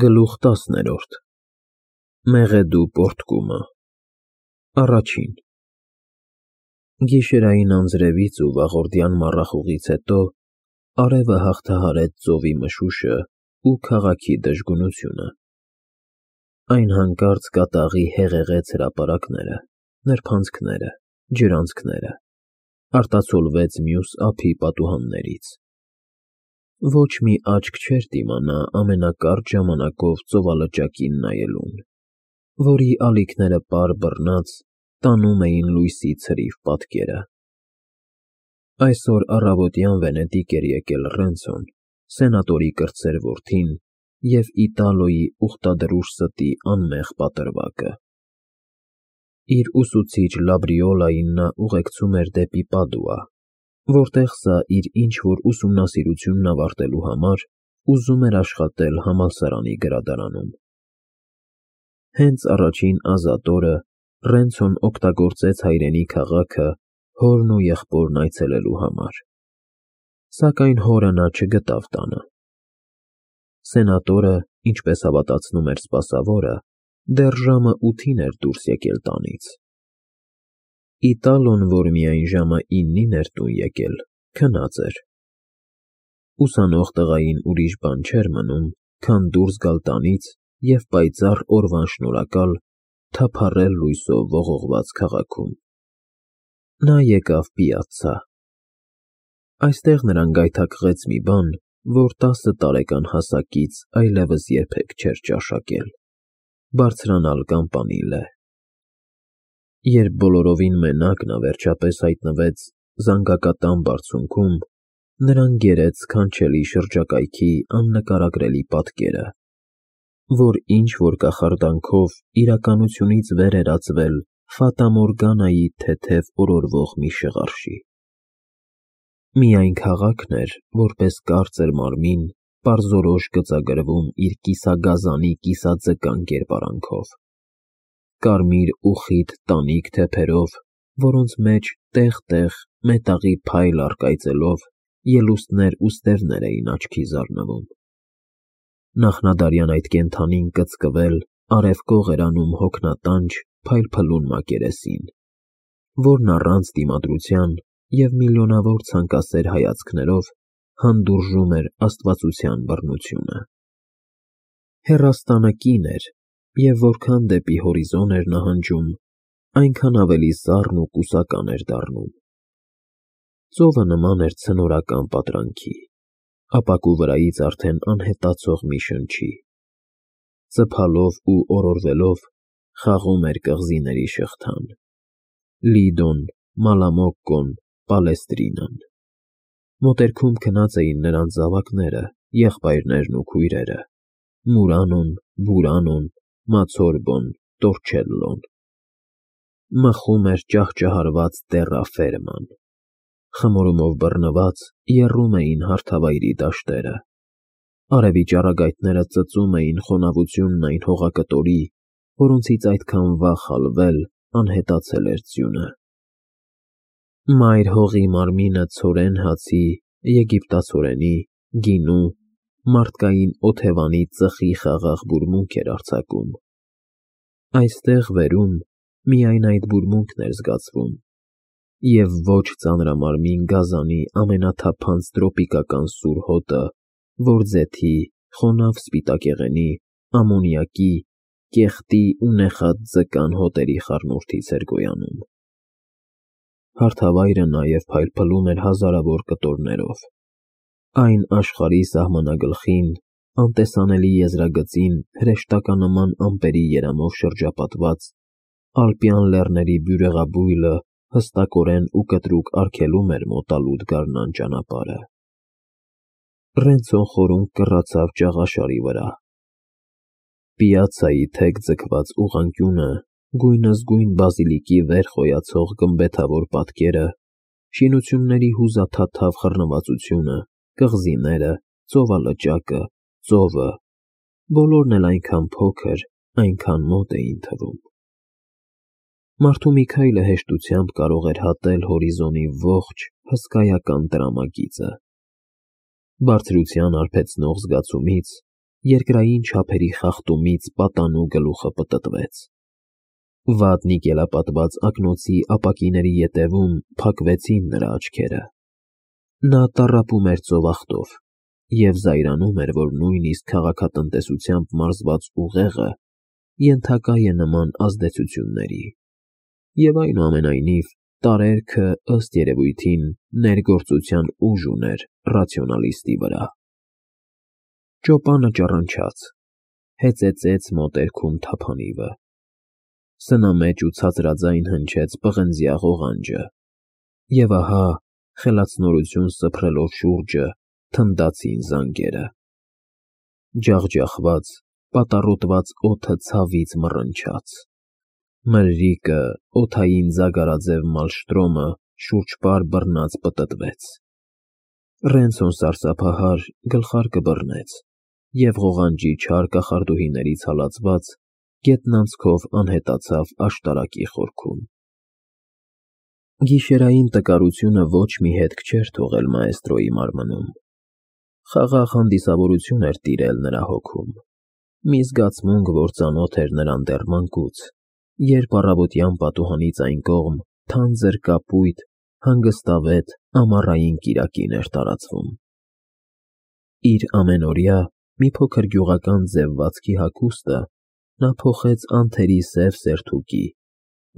Գլուխ 10 Մեղեդու պորտկումը Առաջին Գիշերային անձրևից ու վաղորդյան մառախուղից հետո արևը հաղթահարեց ծովի մշուշը ու քաղաքի դժգունությունը։ Այն հանկարծ կատաղի հեղեղեց հրապարակները, նրբանցքները, ջրանցքները, արտացոլվեց մյուս ափի պատուհաններից։ Ոչ մի աչք չէր դիմանա ամենակարճ ժամանակով ծովալճակին նայելուն, որի ալիքները պար բռնած տանում էին լույսի ցրիվ պատկերը։ Այսօր առավոտյան Վենետիկ էր եկել Ռենցոն, սենատորի կրտսեր որդին և Իտալոյի ուխտադրուժ ստի անմեղ պատրվակը։ Իր ուսուցիչ Լաբրիոլային նա ուղեկցում էր դեպի Պադուա, որտեղ սա իր ինչ-որ ուսումնասիրությունն ավարտելու համար ուզում էր աշխատել համալսարանի գրադարանում։ Հենց առաջին ազատ օրը Ռենցոն օգտագործեց հայրենի քաղաքը հորն ու եղբորն այցելելու համար, սակայն հորը նա չգտավ տանը։ Սենատորը, ինչպես հավատացնում էր սպասավորը, դեռ ժամը 8-ին էր դուրս եկել տանից։ Իտալոն, որ միայն ժամը 9-ին էր տուն եկել, քնած էր։ Ուսանող տղային ուրիշ բան չէր մնում, քան դուրս գալ տանից և պայծառ օրվան շնորհակալ թափառել լույսով ողողված քաղաքում։ Նա եկավ Պիացցա։ Այստեղ նրան գայթակղեց մի բան, որ 10 տարեկան հասակից այլևս երբեք չէր ճաշակել՝ բարձրանալ Կամպանիլե։ Երբ բոլորովին մենակ նա վերջապես հայտնվեց զանգակատան բարձունքում, նրան գերեց սքանչելի շրջակայքի աննկարագրելի պատկերը, որ ինչ-որ կախարդանքով իրականությունից վեր էր ածվել Ֆատամորգանայի թեթև օրորվող մի շղարշի։ Միայն քաղաքն էր, որպես կարծր մարմին, պարզորոշ գծագրվում իր կիսագազանի կիսաձկան կերպարանքով, կարմիր ու խիտ տանիք թեփերով, որոնց մեջ տեղ-տեղ մետաղի փայլ առկայծելով ելուստներ ու ստևներ էին աչքի զարնվում։ Նախնադարյան այդ կենդանին կծկվել արևկող էր անում հոգնատանչ փայլփլուն մակերեսին, որն առանց դիմադրության և միլիոնավոր ցանկասեր հայացքներով հանդուրժում էր աստվածության բռնությունը։ Հեռաստանը կին էր, և որքան դեպի հորիզոն էր նահանջում, այնքան ավելի սառն ու կուսական էր դառնում։ Ծովը նման էր ցնորական պատրանքի, ապակու վրայից արդեն անհետացող մի շնչի։ Ծփալով ու օրորվելով խաղում էր կղզիների շղթան՝ Լիդոն, Մալամոկկոն, Պալեստրինան։ Մոտերքում քնած էին նրանց զավակները, եղբայրներն ու քույրերը՝ Մուրանոն, Բուրանոն, Մացորբոն, Տորչելլոն։ Մխում էր ճահճահարված տեռաֆերման։ Խմորումով բռնված եռում էին հարթավայրի դաշտերը։ Արևի ճառագայթները ծծում էին խոնավությունն այն հողակտորի, որոնցից այդքան վաղ հալվել, անհետացել էր ձյունը։ Մայր հողի մարմինը ցորեն հացի, եգիպտացորենի, գինու, մարդկային օթևանի ծխի խաղաղ բուրմունք էր արձակում։ Այստեղ վերում միայն այդ բուրմունքն էր զգացվում, և ոչ ծանրամարմին գազանի ամենաթափանց տրոպիկական սուր հոտը, որ ձեթի, խոնավ սպիտակեղենի, ամոնիակի, կեղտի ու նեխած ձկան հոտերի խառնուրդից էր գոյանում։ Հարթավայրը նաև փայլփլում էր հազարավոր կտորներով։ Այն աշխարհի սահմանագլխին, անտեսանելի եզրագծին հրեշտականման ամպերի երամով շրջապատված ալպյան լեռների բյուրեղաբույլը հստակորեն ու կտրուկ արգելում էր մոտալուտ գարնան ճանապարհը։ Ռենցոն խորունկ կռացավ ճաղաշարի վրա։ Պիացցայի թեք ձգված ուղղանկյունը, գույնզգույն բազիլիկի վեր խոյացող գմբեթավոր պատկերը, շինությունների հուզաթաթավ խռնվածությունը, կղզիները, ծովալճակը, ծովը, բոլորն էլ այնքան փոքր, այնքան մոտ էին թվում։ Մարդու մի քայլը հեշտությամբ կարող էր հատել հորիզոնի ողջ հսկայական տրամագիծը։ Բարձրության արբեցնող զգացումից երկրային չափերի խախտումից պատանու գլուխը պտտվեց։ Վատ նիկելապատված ակնոցի ապակիների ետևում փակվեցին նրա աչքերը։ Նա տառապում էր ծովախտով և զայրանում էր, որ նույնիսկ քաղաքատնտեսությամբ մարզված ուղեղը ենթակա է նման ազդեցությունների, և այնուամենայնիվ տարերքը ըստ երևույթին ներգործության ուժ ուներ ռացիոնալիստի վրա։ Ճոպանը ճռնչաց, հեծեծեց մոտերքում թափանիվը։ Սնամեջ ու ցածրաձայն հնչեց պղնձյա ղողանջը, և ահա, խելացնորություն սփռելով շուրջը, թնդացին զանգերը։ Ջախջախված, պատառոտված օդը ցավից մռնչաց։ Մրրիկը, օդային ձագարաձև մալշտրոմը շուրջպար բռնած պտտվեց։ Ռենցոն սարսափահար գլխարկը բռնեց և ղողանջի չար կախարդուհիներից հալածված գետնանցքով անհետացավ աշտարակի խորքում։ Գիշերային տկարությունը ոչ մի հետք չէր թողել մաեստրոյի մարմնում։ Խաղաղ հանդիսավորություն էր տիրել նրա հոգում, մի զգացմունք, որ ծանոթ էր նրան դեռ մանկուց, երբ առավոտյան պատուհանից այն կողմ թանձր կապույտ, հանգստավետ ամառային կիրակին էր տարածվում։ Իր ամենօրյա մի փոքր գյուղական ձևվածքի հագուստը նա փոխեց անթերի սև սերթուկի,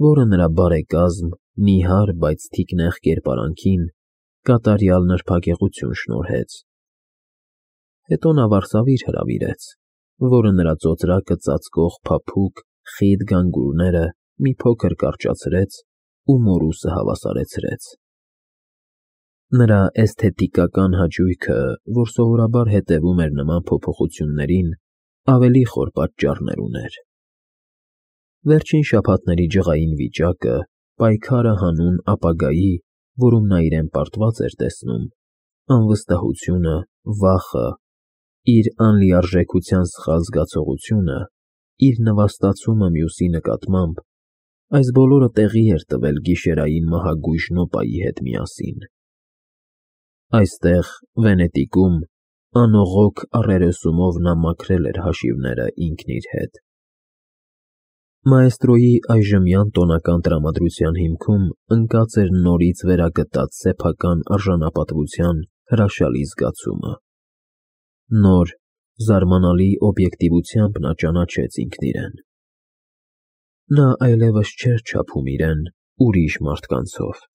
որը նրա բարեկազմ, նիհար, բայց թիկնեղ կերպարանքին կատարյալ նրբագեղություն շնորհեց։ Հետո նա վարսավիր հրավիրեց, որը նրա ծոծրակը ծածկող փափուկ, խիտ գանգուրները մի փոքր կարճացրեց ու մորուսը հավասարեցրեց։ Նրա էսթետիկական հաճույքը, որ սովորաբար հետևում էր նման փոփոխություններին, ավելի խոր պատճառներ ուներ։ Վերջին շաբաթների ջղային վիճակը, պայքարը հանուն ապագայի, որում նա իրեն պարտված էր տեսնում, անվստահությունը, վախը, իր անլիարժեքության սխալ զգացողությունը, իր նվաստացումը մյուսի նկատմամբ, այս բոլորը տեղի էր տվել գիշերային մահագույժ նոպայի հետ միասին։ Այստեղ, Վենետիկում, անողոք առերեսումով նա մաքրել էր հաշիվները ինքն իր հետ։ Մաեստրոյի այժմյան տոնական տրամադրության հիմքում ընկած էր նորից վերագտած սեփական արժանապատվության հրաշալի զգացումը։ Նոր, զարմանալի օբյեկտիվությամբ նա ճանաչեց ինքն իրեն։ Նա այլևս չէր չափում իրեն ուրիշ մարդկանցով,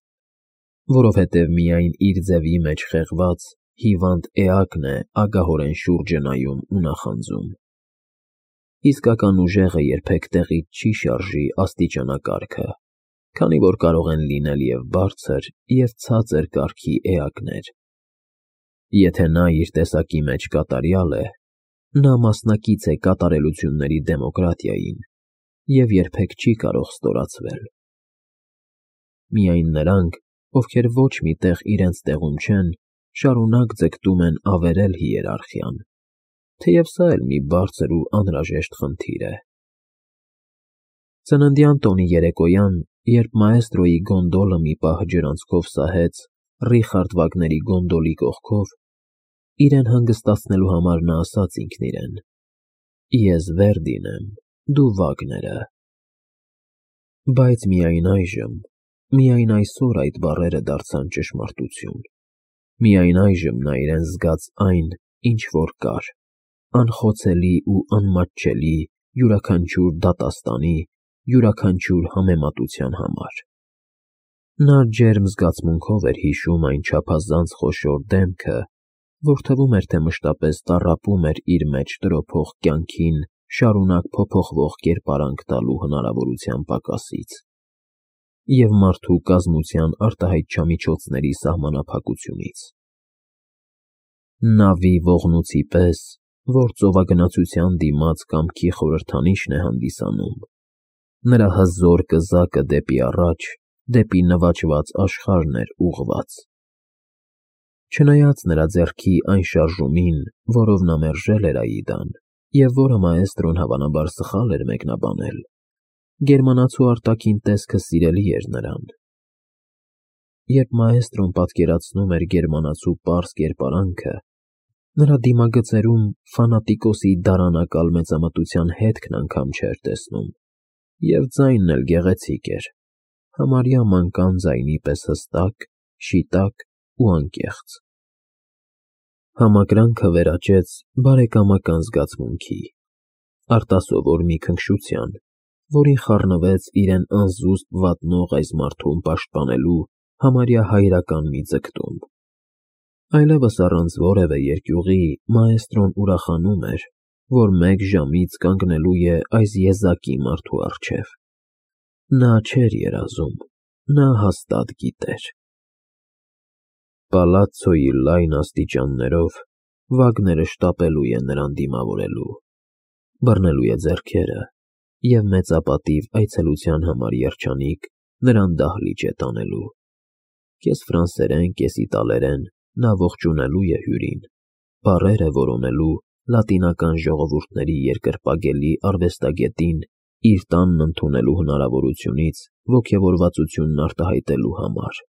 որովհետև միայն իր ձևի մեջ խեղված, հիվանդ էակն է ագահորեն շուրջը նայում ու նախանձում։ Իսկական ուժեղը երբեք տեղից չի շարժի աստիճանակարգը, քանի որ կարող են լինել և բարձր, և ցածր կարգի էակներ։ Եթե նա իր տեսակի մեջ կատարյալ է, նա մասնակից է կատարելությունների դեմոկրատիային և երբեք չի կարող ստորացվել։ Միայն նրանք, ովքեր ոչ մի տեղ իրենց տեղում չեն, շարունակ ձգտում են ավերել հիերարխիան, թեև սա էլ մի բարձր ու անհրաժեշտ խնդիր է։ Ծննդյան տոնի երեկոյան, երբ մաեստրոյի գոնդոլը մի պահ ջրանցքով սահեց Ռիխարդ Վագների գոնդոլի կողքով, իրեն հանգստացնելու համար նա ասաց ինքն իրեն. «Ես Վերդին եմ, դու Վագները»։ Բայց միայն այժմ, միայն այսօր այդ բառերը դարձան ճշմարտություն։ Միայն այժմ նա իրեն զգաց այն, ինչ որ կար, անխոցելի ու անմատչելի յուրաքանչյուր դատաստանի, յուրաքանչյուր համեմատության համար։ Նա ջերմ զգացմունքով էր հիշում այն չափազանց խոշոր դեմքը, որ թվում էր, թե մշտապես տառապում էր իր մեջ տրոփող կյանքին շարունակ փոփոխվող կերպարանք տալու հնարավորության պակասից և մարդու կազմության արտահայտչամիջոցների սահմանափակությունից։ Նավի ողնուցի պես, որ ծովագնացության դիմաց կամքի խորհրդանիշն է հանդիսանում, նրա հզոր կզակը դեպի առաջ, դեպի նվաճված աշխարհն էր ուղղված։ Չնայած նրա ձեռքի այն շարժումին, որով նա մերժել էր Աիդան, և որը մաեստրոն հավանաբար սխալ էր մեկնաբանել, գերմանացու արտաքին տեսքը սիրելի էր նրան։ Երբ մաեստրոն պատկերացնում էր գերմանացու պարզ կերպարանքը, Նրա դիմագծերում ֆանատիկոսի դարանակալ մեծամտության հետքն անգամ չէր տեսնում, և ձայնն էլ գեղեցիկ էր, համարյա մանկան ձայնի պես հստակ, շիտակ ու անկեղծ։ Համակրանքը վերաճեց բարեկամական զգացմունքի, արտասովոր մի քնքշության, որին խառնվեց իրեն անզուսպ վատնող այս մարդուն պաշտպանելու համարյա հայրական մի ձգտում։ Այլևս առանց որևէ երկյուղի մաէստրոն ուրախանում էր, որ մեկ ժամից կանգնելու է այս եզակի մարդու առջև։ Նա չէր երազում, նա հաստատ գիտեր։ Պալացցոյի լայն աստիճաններով Վագները շտապելու է նրան դիմավորելու, բռնելու է ձեռքերը և մեծապատիվ այցելության համար երջանիկ նրան դահլիճ է տանելու։ Կես ֆրանսերեն, կես իտալերեն նա ողջունելու է հյուրին, բառեր է որոնելու լատինական ժողովուրդների երկրպագելի արվեստագետին իր տանն ընդունելու հնարավորությունից ոգևորվածությունն արտահայտելու համար։